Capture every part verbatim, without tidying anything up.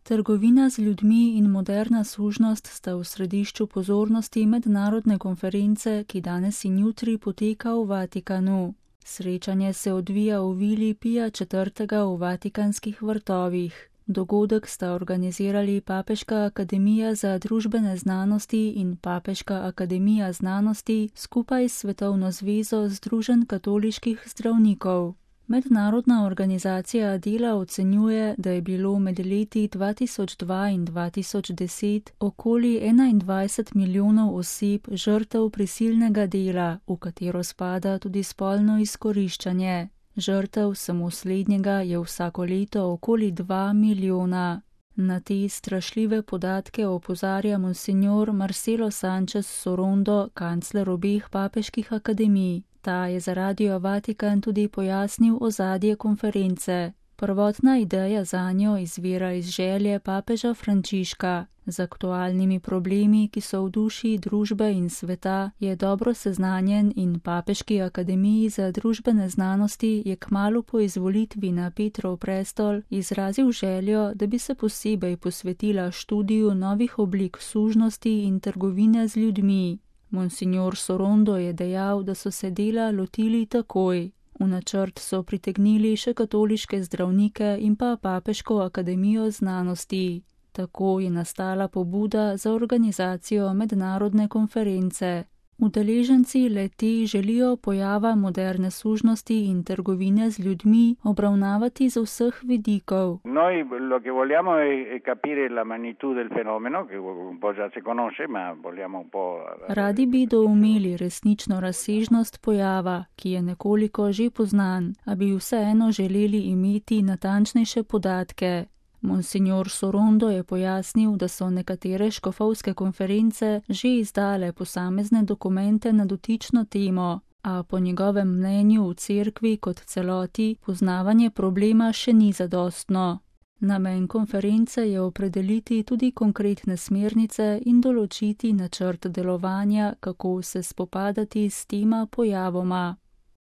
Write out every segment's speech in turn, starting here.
Trgovina z ljudmi in moderna služnost sta v središču pozornosti mednarodne konference, ki danes in jutri poteka v Vatikanu. Srečanje se odvija v vili Pija četrtega v Vatikanskih vrtovih. Dogodek sta organizirali Papeška akademija za družbene znanosti in Papeška akademija znanosti skupaj s Svetovno zvezo Združenj katoliških zdravnikov. Mednarodna organizacija dela ocenjuje, da je bilo med leti dva tisoč dva in dva tisoč deset okoli enaindvajset milijonov oseb žrtev prisilnega dela, v katero spada tudi spolno izkoriščanje. Žrtev samo slednjega je vsako leto okoli dva milijona. Na te strašljive podatke opozarja monsignor Marcelo Sanchez Sorondo, kancler obeh papeških akademij. Ta je za Radio Vatikan tudi pojasnil ozadje konference. Prvotna ideja zanjo izvira iz želje papeža Frančiška. Z aktualnimi problemi, ki so v duši družbe in sveta, je dobro seznanjen in Papeški akademiji za družbene znanosti je kmalu po izvolitvi na Petrov prestol izrazil željo, da bi se posebej posvetila študiju novih oblik sužnosti in trgovine z ljudmi. Monsignor Sorondo je dejal, da so se dela lotili takoj. V načrt so pritegnili še katoliške zdravnike in pa Papeško akademijo znanosti. Tako je nastala pobuda za organizacijo mednarodne konference. Udeleženci le-te želijo pojava moderne sužnosti in trgovine z ljudmi obravnavati z vseh vidikov. Noi lo che vogliamo è capire la magnitudo del fenomeno, che un po' già si conosce, ma vogliamo un po'. Radi bi doumeli resnično razsežnost pojava, ki je nekoliko že poznan, a bi vseeno želeli imeti natančnejše podatke. Monsignor Sorondo je pojasnil, da so nekatere škofovske konference že izdale posamezne dokumente na dotično temo, a po njegovem mnenju v cerkvi kot celoti poznavanje problema še ni zadostno. Namen konference je opredeliti tudi konkretne smernice in določiti načrt delovanja, kako se spopadati s tema pojavoma.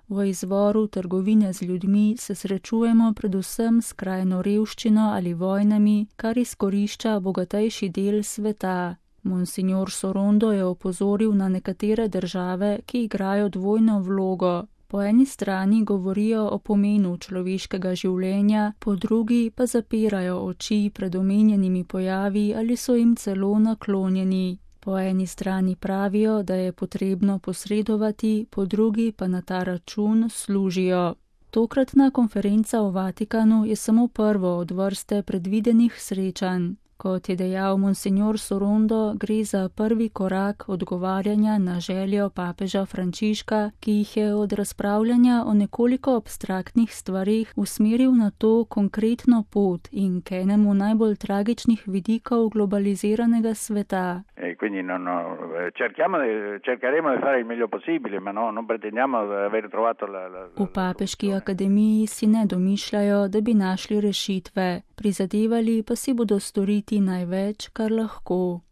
V izvoru trgovine z ljudmi se srečujemo predvsem s skrajno revščino ali vojnami, kar izkorišča bogatejši del sveta. Monsignor Sorondo je opozoril na nekatere države, ki igrajo dvojno vlogo. Po eni strani govorijo o pomenu človeškega življenja, po drugi pa zapirajo oči pred omenjenimi pojavi ali so jim celo naklonjeni. Po eni strani pravijo, da je potrebno posredovati, po drugi pa na ta račun služijo. Tokratna konferenca v Vatikanu je samo prvo od vrste predvidenih srečanj. Kot je dejal monsignor Sorondo, gre za prvi korak odgovarjanja na željo papeža Frančiška, ki jih je od razpravljanja o nekoliko abstraktnih stvarih usmeril na to konkretno pot in k enemu najbolj tragičnih vidikov globaliziranega sveta. E quindi non, no, cerchiamo, cercheremo di fare il meglio possibile, ma no, non pretendiamo di aver trovato la, la, V Papeški akademiji si ne domišljajo, da bi našli rešitve. Prizadevali pa si bodo storiti največ, kar lahko.